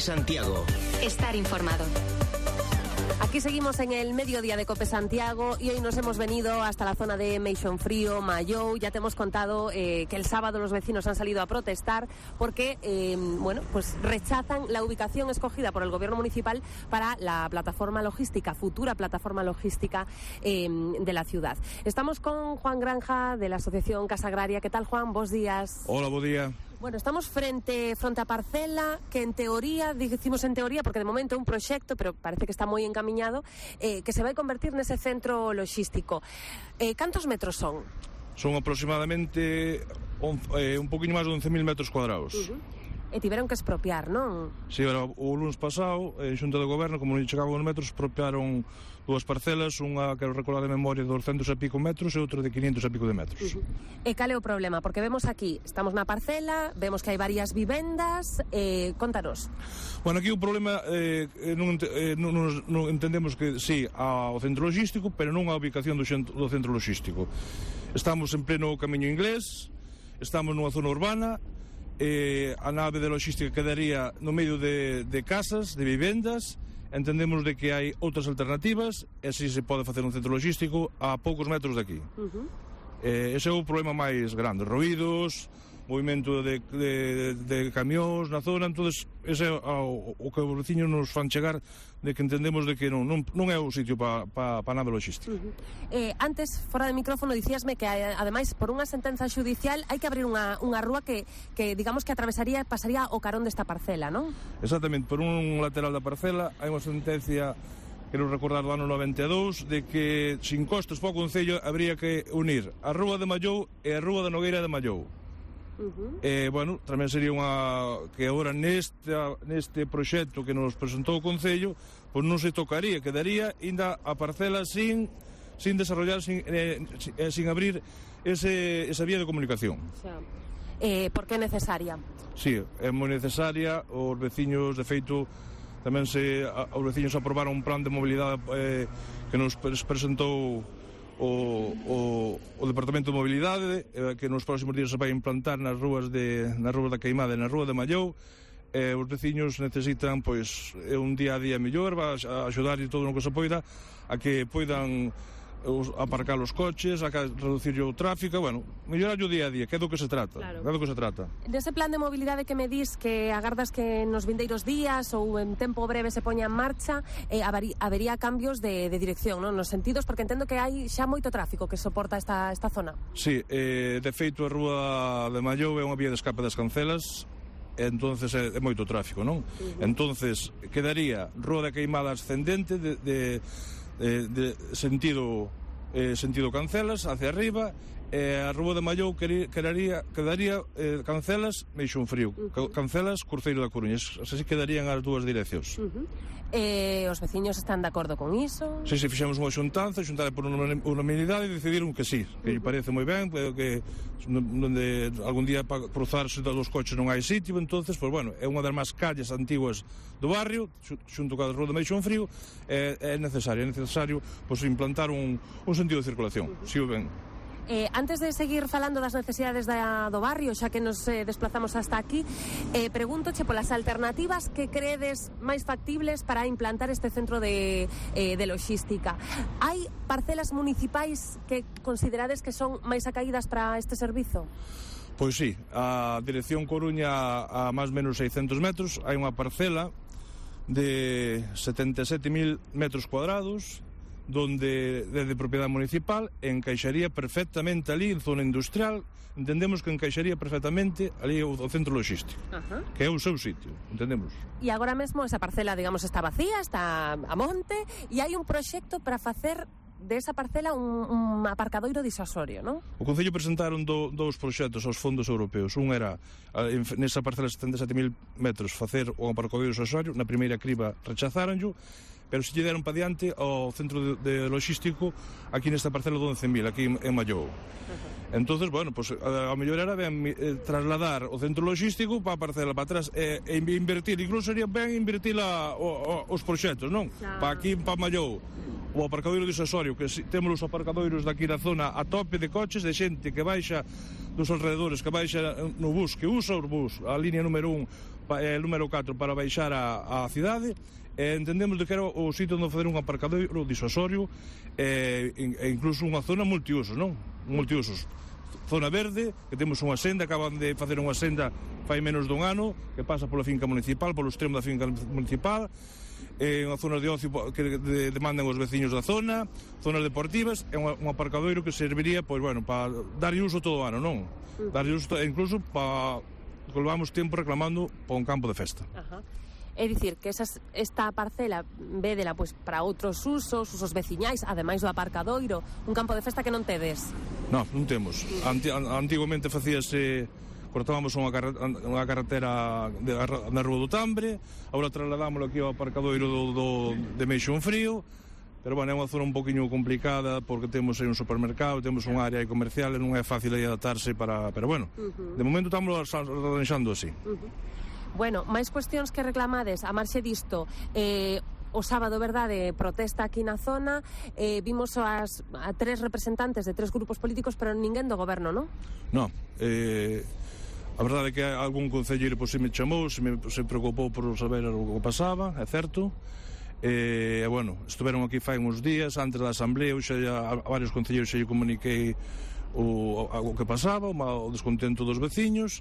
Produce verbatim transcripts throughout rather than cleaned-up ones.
Santiago. Estar informado. Aquí seguimos en el mediodía de Cope Santiago y hoy nos hemos venido hasta la zona de Meixonfrío, Mallou. Ya te hemos contado eh, que el sábado los vecinos han salido a protestar porque, eh, bueno, pues rechazan la ubicación escogida por el gobierno municipal para la plataforma logística, futura plataforma logística eh, de la ciudad. Estamos con Juan Granja de la Asociación Casa Agraria. ¿Qué tal, Juan? Bos días. Hola, buen día. Bueno, estamos frente frente a parcela que en teoría, decimos en teoría porque de momento é un proxecto, pero parece que está moi encamiñado, eh, que se vai convertir nese centro logístico. Eh, cantos metros son? Son aproximadamente once, eh, un poquinho máis de once mil metros cuadrados. Uh-huh. E tiveron que expropiar, non? Si, sí, o lunes pasado, en Xunta de Goberno, como non chegaban os metros, expropiaron dúas parcelas, unha, quero recordar de memoria, de douscentos e pico metros e outra de quinientos e pico de metros. Uh-huh. E cal é o problema? Porque vemos aquí, estamos na parcela, vemos que hai varias vivendas, eh, contanos. Bueno, aquí o problema, eh, non, eh, non, non entendemos que, sí, ao centro logístico, pero non a ubicación do, xento, do centro logístico. Estamos en pleno camiño inglés, estamos nunha zona urbana, eh, a nave de logística quedaría no medio de, de casas, de vivendas. Entendemos de que hai outras alternativas e así se pode facer un centro logístico a poucos metros de aquí. Uh-huh. eh, ese é o problema máis grande, ruídos, movimento de, de, de camións na zona. Entonces ese é o, o que os veciños nos fan chegar, de que entendemos de que non, non, non é o sitio para pa, pa nada logística. Uh-huh. eh, Antes, fora de micrófono, dicíasme que ademais por unha sentenza xudicial hai que abrir unha, unha rúa que, que digamos que atravesaría, pasaría o carón desta parcela, non? Exactamente, por un lateral da parcela hai unha sentencia, quero recordar, do ano noventa e dous, de que sin costes para o Concello habría que unir a Rúa de Mallou e a Rúa da Nogueira de Mallou. Uh-huh. Eh, bueno, tamén sería unha que agora neste, neste proxecto que nos presentou o Concello, pois non se tocaría, quedaría ainda a parcela sin sin desarrollar, sin, eh, sin, eh, sin abrir ese, esa vía de comunicación. O sea, eh, por que é necesaria? Sí, é moi necesaria. Os veciños, de feito, tamén se a, os veciños aprobaron un plan de mobilidade eh, que nos presentou O, o, o Departamento de Mobilidade, eh, que nos próximos días se vai implantar nas rúas de, nas rúas da Queimada e na rúa de Mallou. Eh, os veciños necesitan, pois, un día a día mellor, va a axudar e todo o que se poida a que poidan os, aparcar os coches, a reducir o tráfico, bueno, mellorar o día a día, que é do que se trata, claro. É do que se trata. Dese plan de mobilidade que me dis que agardas que nos vindeiros días ou en tempo breve se poña en marcha, eh, habería, habería cambios de, de dirección, non? Nos sentidos, porque entendo que hai xa moito tráfico que soporta esta, esta zona. Sí, eh, de feito a rúa de Mallou é unha vía de escape das Cancelas, entonces é, é moito tráfico, non? Uh-huh. Entonces quedaría Rúa da Queimada ascendente de, de Eh, de sentido eh, sentido Cancelas hacia arriba, e eh, a Rúa de Mallou quedaría, quedaría eh, Cancelas Meixonfrío, uh-huh. Cancelas Cruceiro da Coruña, así quedarían as dúas direccións. Uh-huh. Eh, os veciños están de acordo con iso? Si, sí, si, sí, fixemos unha xuntanza, xuntada por unanimidade e decidiron que sí, que uh-huh. lle parece moi ben, que donde algún día para cruzarse dos coches non hai sitio, entonces, pues bueno, é unha das máis calles antiguas do barrio, xunto ca Rúa de Meixonfrío, é, é necesario, é necesario pues, implantar un, un sentido de circulación, uh-huh. si o ben. Eh, antes de seguir falando das necesidades da, do barrio, xa que nos eh, desplazamos hasta aquí, eh, pregúntoche polas alternativas que credes máis factibles para implantar este centro de, eh, de logística. Hai parcelas municipais que considerades que son máis acaídas para este servizo? Pois sí, a dirección Coruña a máis menos seiscentos metros hai unha parcela de setenta e sete mil metros cuadrados donde é de propiedade municipal, encaixaría perfectamente ali en zona industrial, entendemos que encaixaría perfectamente ali o, o centro logístico, uh-huh. que é o seu sitio, entendemos. E agora mesmo esa parcela, digamos, está vacía, está a monte, e hai un proxecto para facer de esa parcela un, un aparcadoiro disuasorio, non? O Concello presentaron do, dous proxectos aos fondos europeos. Un era, en, nesa parcela de setenta e sete mil metros, facer o aparcadoiro disuasorio. Na primeira criba rechazaranllo, pero se lle deron para diante ao centro de, de logístico aquí nesta parcela de once mil, aquí en, en Mallou. Uh-huh. Entonces, bueno, pues, a, a mellor era ben eh, trasladar o centro logístico para a parcela para atrás e, e invertir, incluso sería ben invertir a, o, o, os proxectos, non? Claro. Para aquí, para Mallou, o aparcadoiro disuasorio, que si, temos os aparcadoiros daqui na zona a tope de coches, de xente que baixa dos alrededores que baixa no bus, que usa o bus, a línea número un e o número catro para baixar a, a cidade, e entendemos de que era o sitio onde fazer un aparcadoiro disuasorio e, e incluso unha zona multiusos, non? Multiusos. Zona verde, que temos unha senda, acaban de facer unha senda fai menos dun ano, que pasa pola finca municipal, polo extremo da finca municipal, é unha zona de ocio que de, demandan os veciños da zona, zonas deportivas, é un aparcadoiro que serviría, pois, bueno, para darlle uso todo o ano, non? Darlle uso, incluso para que levamos tempo reclamando para un campo de festa. Ajá. É dicir, que esas, esta parcela védela pois, para outros usos, usos veciñais, ademais do aparcadoiro, un campo de festa que non tedes? Non, non temos. Anti, antiguamente facíase, cortábamos unha, carre, unha carretera de, na Rúa do Tambre, agora trasladámoslo aquí ao aparcadoiro do, do, de Meixón Frío, pero, bueno, é unha zona un poquinho complicada porque temos aí un supermercado, temos un área comercial e non é fácil aí adaptarse para... Pero, bueno, uh-huh. de momento estamos arranxando así. Uh-huh. Bueno, máis cuestións que reclamades a marxe disto, eh, o sábado, verdade, protesta aquí na zona, eh, vimos as, a tres representantes de tres grupos políticos, pero ninguén do goberno, non? Non, eh, a verdade é que algún concelleiro pois, se me chamou, se me se preocupou por saber o que pasaba, é certo, e, eh, bueno, estuveron aquí fai uns días, antes da asamblea, xa a, a varios concelleiros xa lle comuniquei o, o, o que pasaba, o, o descontento dos veciños.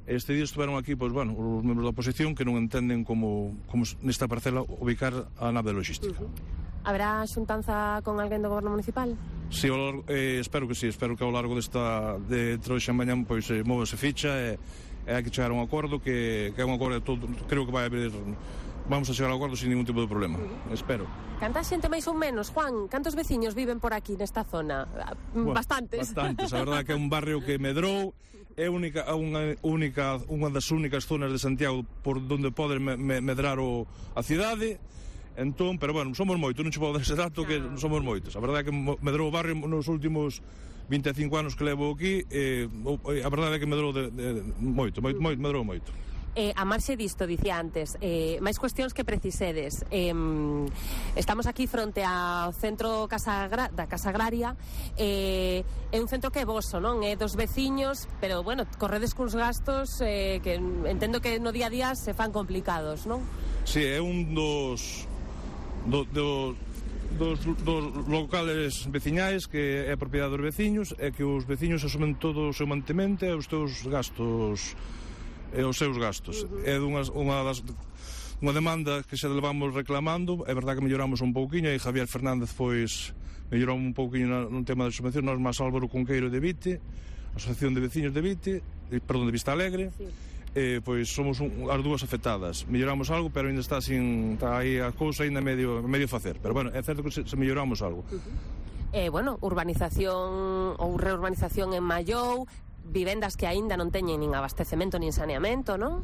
Este día estuveron aquí, pois, bueno, os membros da oposición que non entenden como, como nesta parcela ubicar a nave logística. Uh-huh. Habrá xuntanza con alguén do goberno municipal? Sí, ao, eh, espero que sí, espero que ao largo desta de troxa mañán pois eh, móvese ficha e, e hai que chegar a un acordo que, que é un acordo de todo, creo que vai haber, vamos a chegar ao acordo sin ningún tipo de problema, uh-huh. espero. Canta xente máis ou menos, Juan? Cantos veciños viven por aquí nesta zona? Bueno, bastantes. Bastantes, a verdade que é un barrio que medrou, é única, unha, única, unha das únicas zonas de Santiago por donde pode me, me, medrar o, a cidade, entón, pero bueno, somos moitos, non che podo dar ese dato que no. somos moitos. A verdade é que medrou o barrio nos últimos vinte e cinco anos que levo aquí, eh, a verdade é que medrou de, de, de, moito, moito, moito, medrou moito. Eh, a marxe disto, dicía antes, eh, máis cuestións que precisedes. Eh, estamos aquí fronte ao centro Casa Agra, da Casa Agraria, eh, é un centro que é voso, non? É dos veciños, pero, bueno, corredes cuns gastos eh, que entendo que no día a día se fan complicados, non? Sí, é un dos... Do, do, dos, dos locales veciñais que é a propiedade dos veciños e que os veciños asumen todo o seu mantemento e os teus gastos e os seus gastos. Uh-huh. É dunha, unha das unha demanda que xa levamos reclamando, é verdade que melloramos un pouquiño e Javier Fernández pois mellorou un pouquiño no tema de subvención, nós máis Álvaro Conqueiro de Vite, Asociación de Veciños de Vite, perdón, de Vista Alegre, sí. eh, pois somos un, as dúas afectadas. Melloramos algo, pero ainda está sin está aí a cousa ainda medio medio facer, pero bueno, é certo que se, se melloramos algo. Uh-huh. Eh, bueno, urbanización ou reurbanización en Mallou, vivendas que aínda non teñen nin abastecemento nin saneamento, non?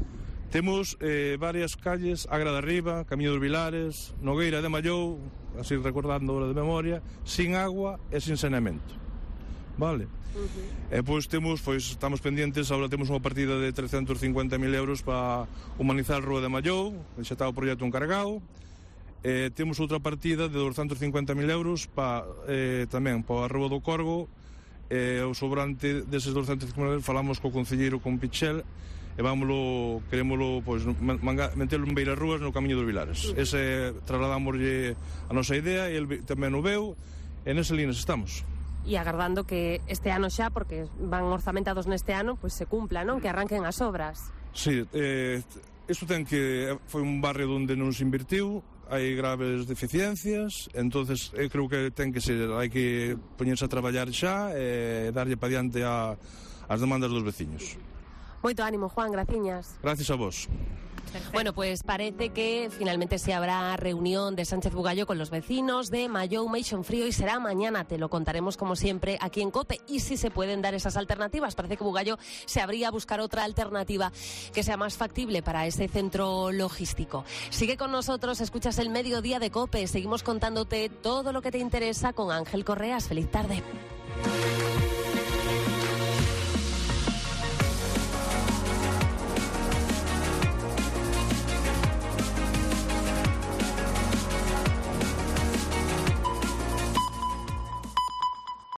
Temos eh, varias calles, Agra de Arriba, Camiño dos Vilares, Nogueira de Mallou, así recordando de memoria, sin agua e sin saneamento. Vale? Uh-huh. E pois temos, pois estamos pendientes, agora temos unha partida de trescentos cincuenta mil euros para humanizar a Rúa de Mallou, xa está o proxecto encargado. Eh, temos outra partida de doscientos cincuenta mil euros para, eh, tamén para a Rúa do Corgo. E o sobrante deses doscientos cincuenta mil falamos co concelleiro, con Pichel, e vámoslo, querémoslo, pois, metelo en Beira Rúas no Camiño dos Vilares. Uh-huh. Ese trasladámoslle a nosa idea e el tamén o veu, e nese líneas estamos. E agardando que este ano xa, porque van orzamentados neste ano, pois se cumpla, non? Que arranquen as obras. Sí, eh, isto ten que foi un barrio onde non se invertiu, hai graves deficiencias, entonces eu creo que ten que ser, hai que poñerse a traballar xa e darlle pa diante a, as demandas dos veciños. Moito ánimo, Juan, graciñas. Gracias a vos. Perfecto. Bueno, pues parece que finalmente se habrá reunión de Sánchez Bugallo con los vecinos de Mallou, Meixón Frío, y será mañana. Te lo contaremos como siempre aquí en COPE. Y si se pueden dar esas alternativas, parece que Bugallo se habría a buscar otra alternativa que sea más factible para ese centro logístico. Sigue con nosotros, escuchas el Mediodía de COPE. Seguimos contándote todo lo que te interesa con Ángel Correas. Feliz tarde.